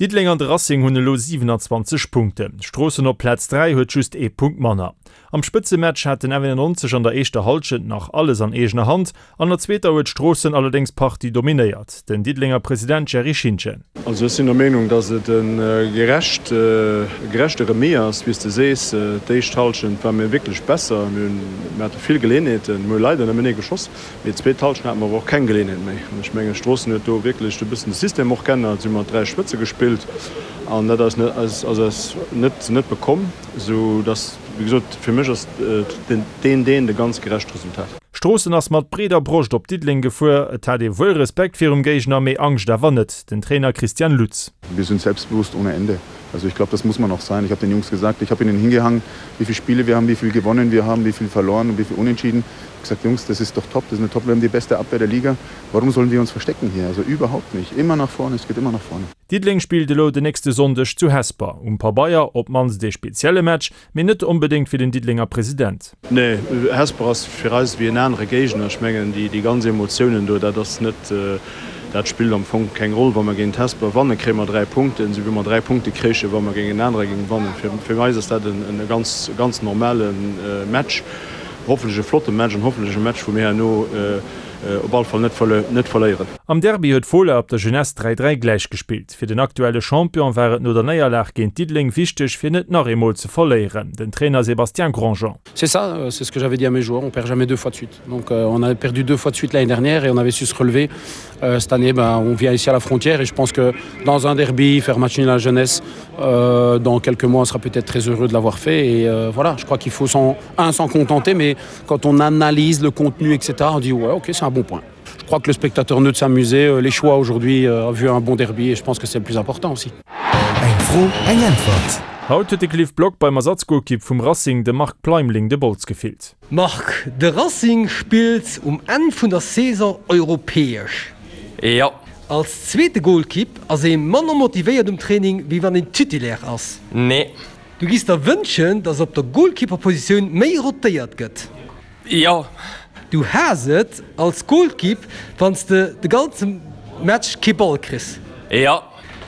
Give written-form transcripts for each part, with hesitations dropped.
Diddeleng an de Racing hunn elo 27 Punkten. Stroossen op Plaz 3 huet just ee Punkt manner. Am Spëtzematch hat den F91 an der éischter Hallschent nach alles an eegener Hand, an der zweeter huet Stroossen allerdéngs d'Partie dominéiert. Den Diddelenger President Jerry Schintgen. Also ech sinn der Meenung, datt et e gerecht, e gerechte Remis ass. Wéi s de sees, d'éischt Hallschent ware mir wierklech besser. Mir hunn, mir hate vill Geleeënheeten, mir hu leider nëmmen ee geschoss. Mee d'zweet Hallschent hate mer awer och keng Geleeënheet méi. An ech mengen, Stroossen huet do wierklech e bëssen de System och geännert. Si hu mat 3 Spëtze gespillt an dat ass ass eis net net bekomm, esou datt, wéi gesot, fir mech ass deen deen de ganz gerecht Resultat. Stroossen ass mat breeder Broscht op Diddeleng gefuer. Et hat ee wuel Respekt virum Géigner, mee Angscht awer net. Den Trainer Christian Lutz. Wir sind selbstbewusst ohne Ende. Also ich glaube, das muss man auch sein. Ich habe den Jungs gesagt, ich habe ihnen hingehangen, wie viele Spiele wir haben, wie viel gewonnen wir haben, wie viel verloren und wie viel unentschieden. Ich gesagt, Jungs, das ist doch top, das ist eine top, wir haben die beste Abwehr der Liga. Warum sollen wir uns verstecken hier? Also überhaupt nicht. Immer nach vorne, es geht immer nach vorne. Diddeleng spillt elo den nächste Sonndeg zu Hesper. Um Pabeier op d'mannst ee spezielle Match, mee net onbedéngt fir den Diddelenger President. Nee, Hesper ass fir eis ewéi en anere Géigner. Ech mengen, déi ganz Emotiounen do, dat ass net, dat spillt am Fong keng Roll. Wa mer géint Hesper wannen, kréie mer 3 Punkten, esou wéi mer 3 Punkte kréichen, wa mer géint en anere géinge wannen. Fir eis ass dat e ganz, ganz normale Match, hoffentlech e flotte Match an hoffentlech e Match, wou mir herno op alle Fall net verléieren. Am Derby huet Fola op der Jeunesse 3, 3 gläich gespillt. Fir den aktuelle Champion war et no der Néierlag géint Diddeleng wichteg fir net nach eemol ze verléieren. Den Trainer Sébastien Grandjean. C'est ça, c'est ce que j'avais dit à mes joueurs, on perd jamais deux fois de suite. Donc euh, on a perdu deux fois de suite l'année dernière et on avait su se relever. Euh, cette année, ben, on vient ici à la frontière et je pense que dans un derby, faire match nul à la jeunesse, euh, dans quelques mois, on sera peut-être très heureux de l'avoir fait. Et euh, voilà, je crois qu'il faut s'en, un s'en contenter, mais quand on analyse le contenu, etc., on dit ouais, ok, c'est un bon point. Je crois que le spectateur ne de s'amuser, euh, les choix aujourd'hui euh, a vu un bon derby et je pense que c'est le plus important aussi. Eng Fro, eng Äntwert. Haut huet de Cliff Block beim Ersatzgolkipp vum Racing, dem Marc Pleimling, de Bols gefillt. Marc, de Racing spillt um Enn vun der Saison europäesch. Jo. Als zweete Golkipp ass ee manner motivéiert um Training wéi wann een Titulaire ass. Nee. Du giss der wënschen, dass op der Golkipperpositioun méi rotéiert gëtt. Jo. Du haass et als Golkipp wann s de de ganze Match kee Ball kriss. Jo.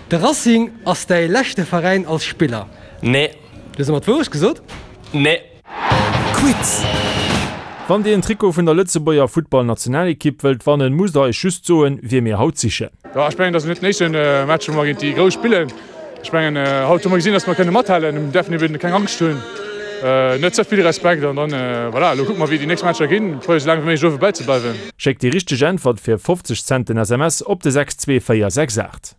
De Racing ass däi leschte Veräin als Spiller. Nee. Du hues ëmmer d'Wourecht gesot? Nee. Quiz! Wann dir en Trikot vun der Lëtzebuerger Futtballnationalekipp wëllt wannen, musst der eis just soen, wie mir haut sichen. Jo, ech mengen, dat ass net den éischte Match, wou mer géint déi Grouss spillen. Ech mengen, haut hu mer gesinn, datt mer kënne mathalen. Mir däerfen eben keng Angscht hunn, net ze vill Respekt an dann, voilà, elo kucke mer, wéi déi nächst Matcher ginn. Probéiere sou laang wéi méiglech uewe bäizebleiwen. Schéckt déi richteg Äntwert fir 50 Cent den SMS op de 62468.